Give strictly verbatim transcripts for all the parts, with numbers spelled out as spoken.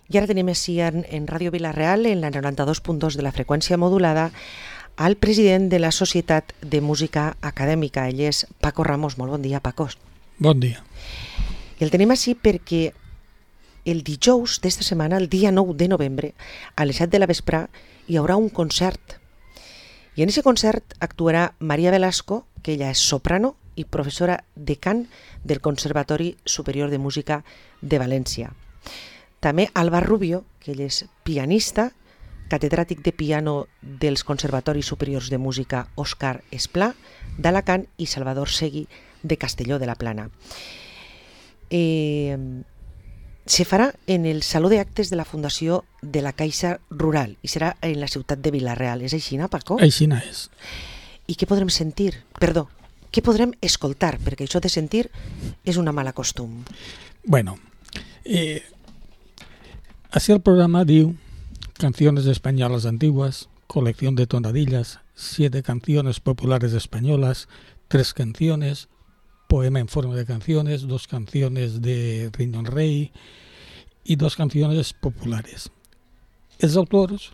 I ara tenim així en, en Ràdio Vila-real, en la noranta-dos punt dos de la freqüència modulada, al president de la Societat de Música Acadèmica. Ell és Paco Ramos. Molt bon dia, Paco. Bon dia. I el tenim així perquè el dijous d'esta setmana, el dia nou de novembre, a les set de la vesprà, hi haurà un concert. I en aquest concert actuarà Maria Velasco, que ella és soprano i professora de cant del Conservatori Superior de Música de València. També Alba Rubio, que ell és pianista, catedràtic de piano dels Conservatoris Superiors de Música Òscar Esplà d'Alacant i Salvador Segui de Castelló de la Plana. Eh, se farà en el Saló d'Actes de la Fundació de la Caixa Rural i serà en la ciutat de Vila-real. És així, no, Paco? Així és. I què podrem sentir? Perdó, què podrem escoltar? Perquè això de sentir és una mala costum. Bueno, eh, así el programa diu Canciones españolas antiguas, colección de tonadillas, siete canciones populares españolas, tres canciones, poema en forma de canciones, dos canciones de Riñón Rey y dos canciones populares. Els autors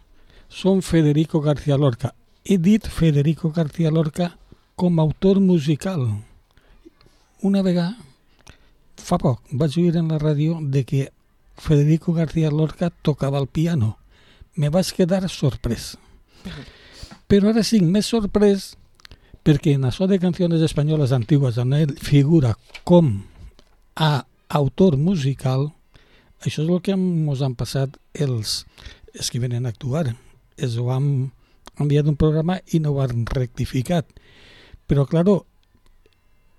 són Federico García Lorca. He dit Federico García Lorca com a autor musical. Una vegada, fa poc, vaig oír en la ràdio de que Federico García Lorca tocava el piano. Me vaig quedar sorprès. Però ara sí, més sorprès perquè en això de Canciones Españolas Antiguas on ell figura com a autor musical, això és el que ens han passat els, els que venen a actuar. Ells ho han enviat un programa i no ho han rectificat. Però, claro,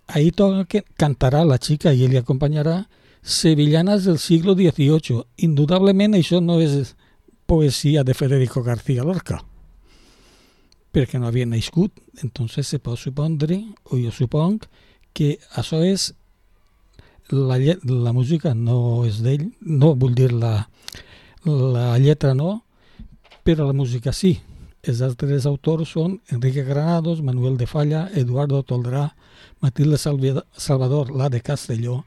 ahí toca cantarà la xica i ell li acompanyarà Sevillanas del siglo dieciocho. Indudablement això no és poesía de Federico García Lorca, perquè no havia nascut. Entonces se pot supondre, o jo suponc, que això és la, la música no és d'ell, no vull dir la, la lletra no, però la música sí. Els altres autors són Enrique Granados, Manuel de Falla, Eduardo Toldrá, Matilde Salvador, la de Castelló,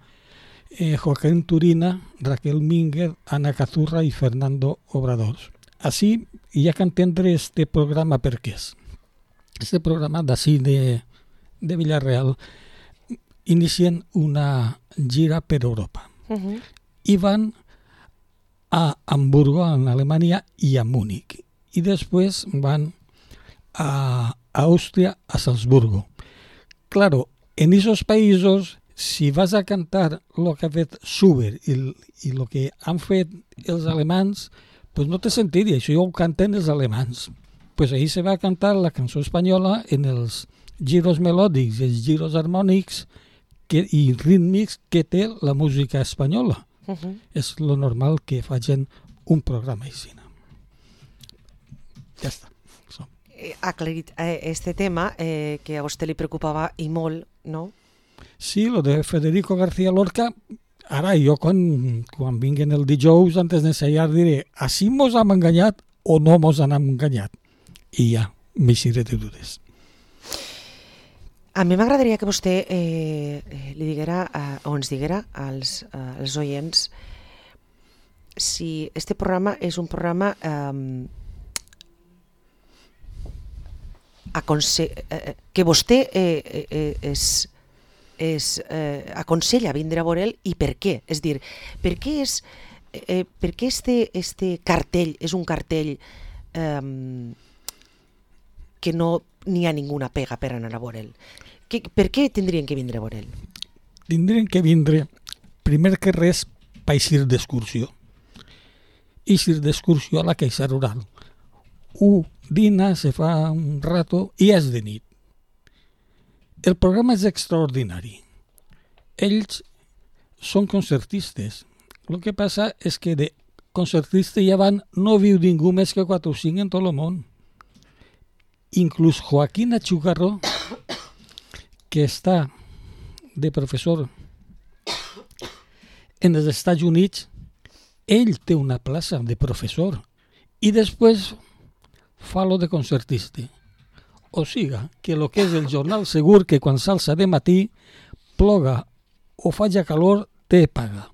Eh, Joaquín Turina, Raquel Minguer, Ana Cazurra i Fernando Obrador. Així hi ha que entendre este programa per què és. Este programa d'ací de, de Vila-real inicien una gira per Europa. Uh-huh. I van a Hamburgo, en Alemanya, i a Múnich. I després van a Àustria, a Salzburgo. Claro, en esos països, si vas a cantar el que ha fet Schubert i, i el que han fet els alemans, pues no te sentiria, això ja ho canten els alemans. Pues ahí se va a cantar la cançó espanyola en els giros melòdics, els giros harmònics que, i rítmics que té la música espanyola. Uh-huh. És lo normal que facin un programa així. Ja està. So. Ha aclarit eh, este tema eh, que a vostè li preocupava i molt, no? Sí, lo de Federico García Lorca, ara jo quan, quan vinguen el dijous antes d'ensaiar diré, així mos hem enganyat o no mos han enganyat? I ja, m'eixiré de dudes. A mi m'agradaria que vostè eh, li diguera, eh, o ens diguera als, eh, als oients si este programa és un programa eh, aconse- eh, que vostè eh, eh, és... es eh, aconsella vindre a veure i per què? És dir, per què, és, eh, per què este, este cartell és un cartell eh, que no n'hi ha ninguna pega per anar a veure'l? Per què tindrien que vindre a veure'l? Tindrien que vindre, primer que res, per eixir d'excursió. Eixir d'excursió a la Caixa Rural. Un dina, se fa un rato i és de nit. El programa és extraordinari. Ells són concertistes. El que passa és que de concertistes ja van, no viu ningú més que quatre o cinc en tot el món. Inclús Joaquín Achugarro, que està de professor en els Estats Units, ell té una plaça de professor i després fa lo de concertista. O siga, que el que és el jornal segur que quan s'alça de matí, ploga o faja calor, té paga.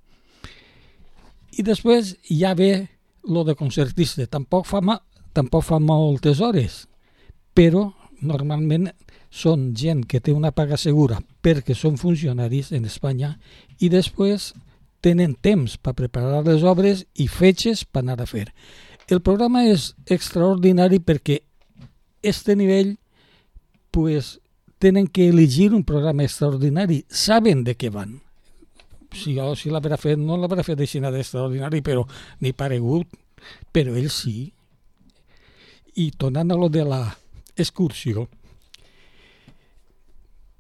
I després ja ve lo de concertista. Tampoc fa, ma, tampoc fa moltes hores, però normalment són gent que té una paga segura perquè són funcionaris en Espanya i després tenen temps per preparar les obres i fetges per anar a fer. El programa és extraordinari perquè este nivell pues, tenen que elegir un programa extraordinari, saben de què van. Si jo si l'haurà fet, no l'haurà fet així d'extraordinari, però ni paregut, però ell sí. I tornant a lo de l'excursió,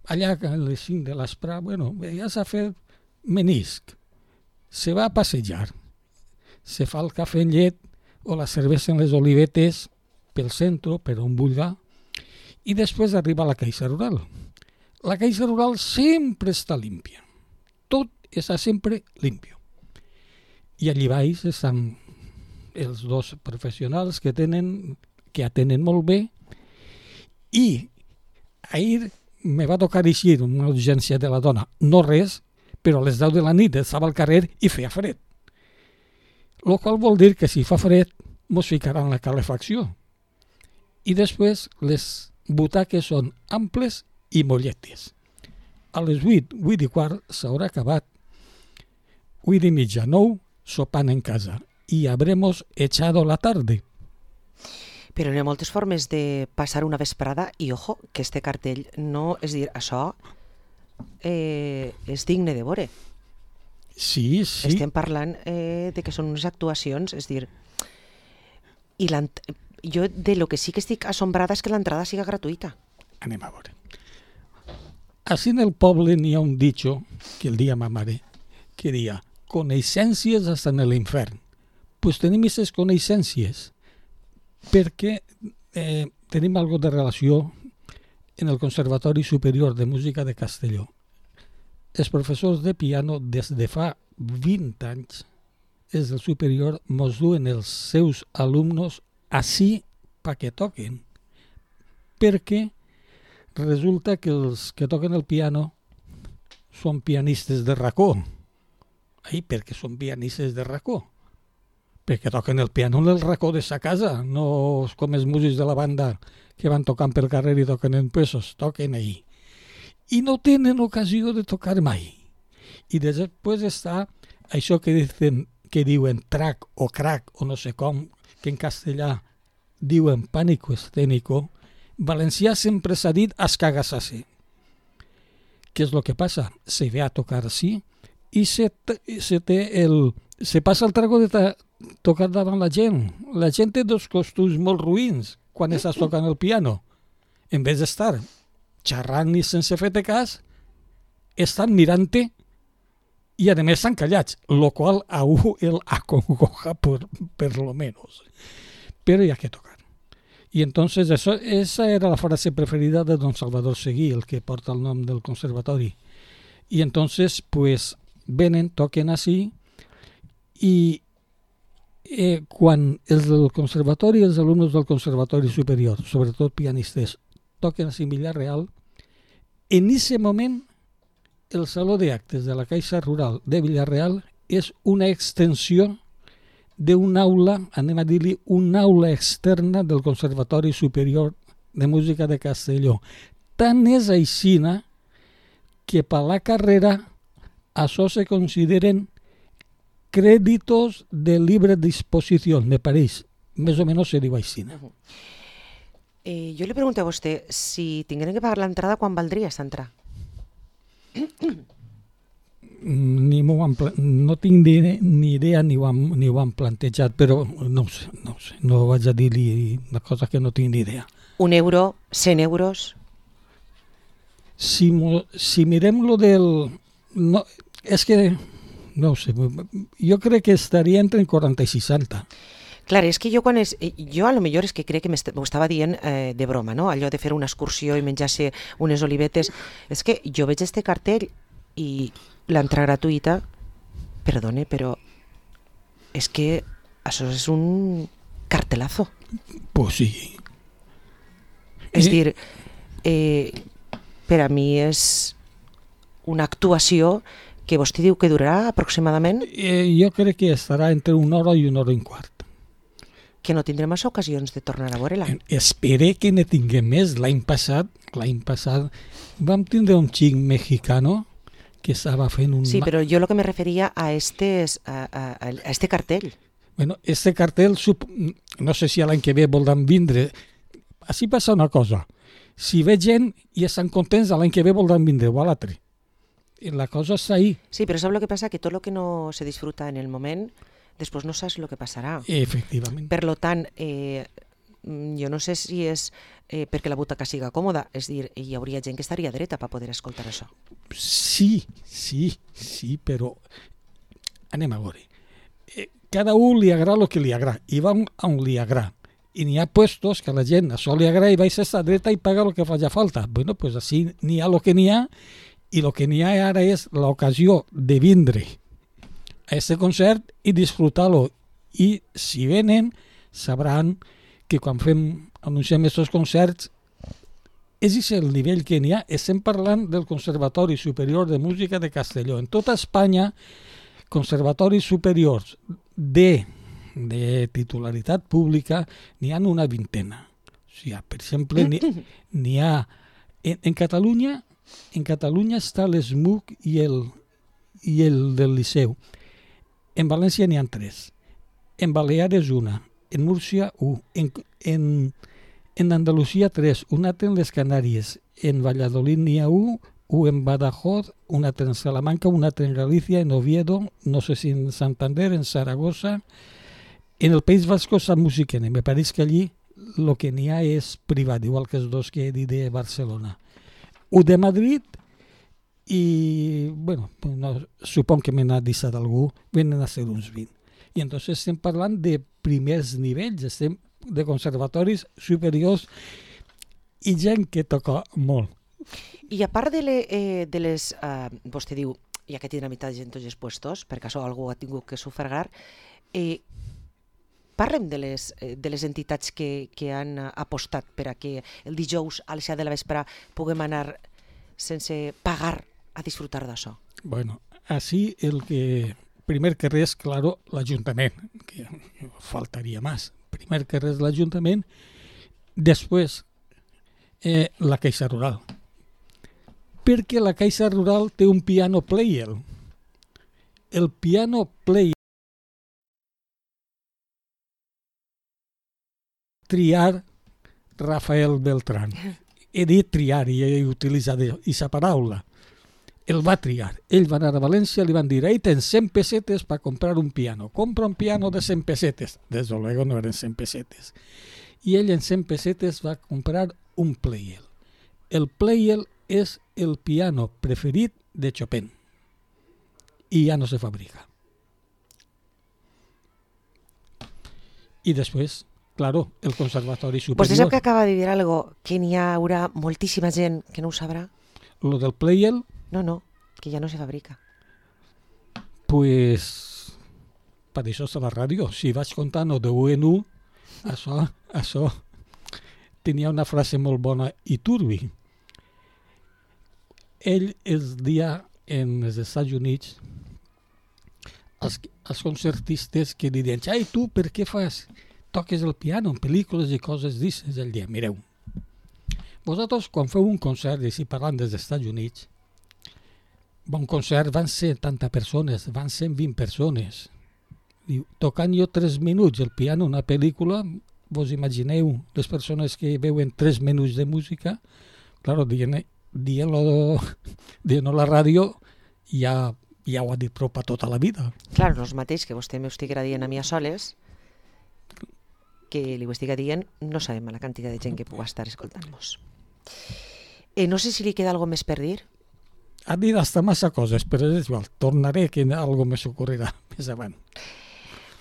allà a les cinc de l'espre, bueno, ja s'ha fet menisc, se va a passejar, se fa el cafè en llet o la cervesa en les olivetes pel centre, per on vulgui, i després arriba a la caixa rural. La caixa rural sempre està límpia, tot està sempre limpio. I allí baix estan els dos professionals que tenen, que atenen molt bé, i ahir me va tocar eixir una urgència de la dona, no res, però a les deu de la nit estava al carrer i feia fred. Lo qual vol dir que si fa fred mos ficaran la calefacció. I després les butaques són amples i molletes. A les vuit, vuit i quart s'haurà acabat, vuit i mitja, nou, sopant en casa. Y habremos echado la tarde. Però hi ha moltes formes de passar una vesprada i, ojo, que este cartell no... És dir, això eh, és digne de veure. Sí, sí. Estem parlant eh, de que són unes actuacions, és dir... I jo de lo que sí que estic assombrada és que l'entrada siga gratuïta. Anem a veure. Així en el poble n'hi ha un dicho que el dia ma mare que dia coneixencies hasta en l'infern. Pues tenim aquestes coneixencies perquè eh, tenim algo de relació en el Conservatori Superior de Música de Castelló. Els professors de piano des de fa vint anys des del superior mos duen els seus alumnos així perquè toquen. Perquè resulta que els que toquen el piano són pianistes de racó. Ai, perquè són pianistes de racó. Perquè toquen el piano en el racó de sa casa, no com els músics de la banda que van tocant pel carrer i toquen en pesos, toquen ahí. I no tenen ocasió de tocar mai. I després està això que dicen, que diuen track o crack o no sé com, que en castellà diuen pánico escénico, valencià sempre s'ha dit escagassasse. Què és el que passa? Se ve a tocar així i se, se, té el, se passa el trago de ta, tocar davant la gent. La gent té dos costums molt ruïns quan estàs tocant el piano. En vez d'estar xerrant i sense fer-te cas, estan mirant-te i a més estan callats, lo qual a un el acongoja por, per lo menos. Pero hay que tocar. Y entonces eso, esa era la frase preferida de don Salvador Seguí, el que porta el nom del conservatori. Y entonces pues venen, toquen así i eh, quan els del conservatori, els alumnes del conservatori superior, sobretot pianistes, toquen a Villarreal, en aquest moment el saló d'actes de la Caixa Rural de Villarreal és una extensió d'un aula, anem a dir-li, una aula externa del Conservatori Superior de Música de Castelló. Tant és aixina que per la carrera això se consideren crèditos de libre disposició, me pareix. Més o menys se diu aixina. Uh-huh. eh, jo li pregunto a vostè, si tingueren que pagar l'entrada, quan valdria aquesta entrada? Ni m'ho han, no tinc ni, ni idea ni ho, han, ni ho han plantejat, però no ho sé, no ho sé, no vaig a dir-li una cosa que no tinc ni idea. Un euro, cent euros? Si, si mirem lo del... No, és que, no ho sé, jo crec que estaria entre quaranta i seixanta. Clar, és que jo quan és... Jo a lo millor és que crec que m'ho estava dient eh, de broma, no? Allò de fer una excursió i menjar-se unes olivetes. És que jo veig este cartell i l'entrada gratuïta, perdone, però és que això és un cartelazo. Pues sí. És eh... dir, eh, per a mi és una actuació que vostè diu que durarà aproximadament? Eh, jo crec que estarà entre una hora i una hora i un quart. Que no tindrem massa ocasions de tornar a veure-la. Espere que ne tinguem més. L'any passat, l'any passat vam tindre un xic mexicano que estava fent un... Sí, però jo el que me referia a, estes, a, a, a este cartell. Bueno, este cartell, no sé si l'any que ve voldran vindre. Així passa una cosa. Si ve gent i estan contents, l'any que ve voldran vindre o a l'altre. La cosa està ahí. Sí, però sap el que passa? Que tot el que no se disfruta en el moment, després no saps el que passarà. Efectivament. Per lo tant, eh, jo no sé si és eh, perquè la butaca siga còmoda, és dir, hi hauria gent que estaria dreta per poder escoltar això. Sí, sí, sí, però anem a veure. Eh, cada un li agrada el que li agrada i va on li agrada. I n'hi ha puestos que a la gent això li agrada i va a estar dreta i paga el que faci falta. Bueno, pues així n'hi ha el que n'hi ha i el que n'hi ha ara és l'ocasió de vindre a este concert i disfrutar-lo. I si venen, sabran que quan fem, anunciem aquests concerts, és el nivell que n'hi ha. Estem parlant del Conservatori Superior de Música de Castelló. En tota Espanya, conservatoris superiors de, de titularitat pública n'hi ha una vintena. O sigui, per exemple, n'hi ha... En, en Catalunya en Catalunya està l'ESMUC i el, i el del Liceu. En València n'hi ha tres. En Baleares una. En Múrcia un. En, en, en Andalusia tres. Un altre en les Canàries. En Valladolid n'hi ha un. Un en Badajoz, un altre en Salamanca, un altre en Galícia, en Oviedo, no sé si en Santander, en Zaragoza. En el País Vasco està Musiquene. Me pareix que allí el que n'hi ha és privat, igual que els dos que he dit de Barcelona. Un de Madrid i, bueno, no, supon que me n'ha deixat algú, venen a ser uns vint. I entonces estem parlant de primers nivells, estem de conservatoris superiors i gent que toca molt. I a part de, le, eh, de les... Eh, vostè diu, ja que tindrà meitat de gent tots els puestos, perquè això algú ha tingut que sufragar, eh, parlem de les, de les entitats que, que han apostat per a que el dijous a les set de la vespre puguem anar sense pagar a disfrutar d'això. Bueno, així el que... Primer que res, claro, l'Ajuntament, que faltaria més. Primer que res l'Ajuntament, després eh, la Caixa Rural. Perquè la Caixa Rural té un piano player. El piano player triar Rafael Beltrán. He dit triar i he utilitzat aquesta paraula. El va triar. Ell va anar a València, li van dir, ahí tens cent pesetes per comprar un piano. Compra un piano de cent pesetes. Desde luego no eren cent pesetes. I ell en cent pesetes va comprar un Pleyel. El Pleyel és el piano preferit de Chopin. I ja no se fabrica. I després, claro, el Conservatori Superior... Vostè sap que acaba de dir algo que n'hi haurà moltíssima gent que no ho sabrà? Lo del Pleyel... No, no, que ja no se fabrica. Pues, per això és la ràdio. Si vaig contant de u en u, això, això tenia una frase molt bona i turbi. Ell es dia en els Estats Units als, als concertistes que li diuen, ai, tu per què fas? Toques el piano en pel·lícules i coses d'aixes. Ell dia, mireu, vosaltres quan feu un concert, i si parlant dels Estats Units, bon concert van ser setanta persones, van cent vint persones. Diu, tocant jo tres minuts el piano en una pel·lícula, vos imagineu les persones que veuen tres minuts de música, claro, dient, dient-lo dient a la ràdio ja, ja ho ha dit prou per tota la vida. Clar, no és mateix que vostè m'ho estiguera dient a mi a soles, que li ho estigui dient, no sabem la quantitat de gent que pugui estar escoltant-nos. Eh, no sé si li queda alguna més per dir. Ha dit hasta massa coses, però és igual, tornaré que algo més ocorrerà més avant.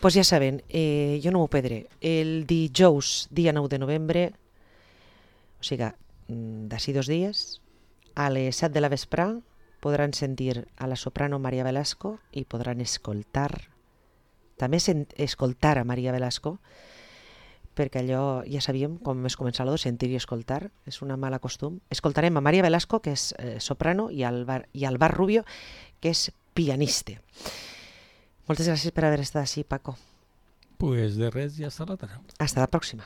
Pues ja saben, eh, jo no m'ho perdré. El dijous, dia nou de novembre, o sigui, d'ací dos dies, a les set de la vespre, podran sentir a la soprano Maria Velasco i podran escoltar, també escoltar a Maria Velasco, perquè allò ja sabíem, com es començava a sentir i escoltar, és una mala costum. Escoltarem a Maria Velasco, que és eh, soprano, i al, bar, i al Bar Rubio, que és pianista. Moltes gràcies per haver estat així, Paco. Pues de res, ja està l'altra. Hasta la pròxima.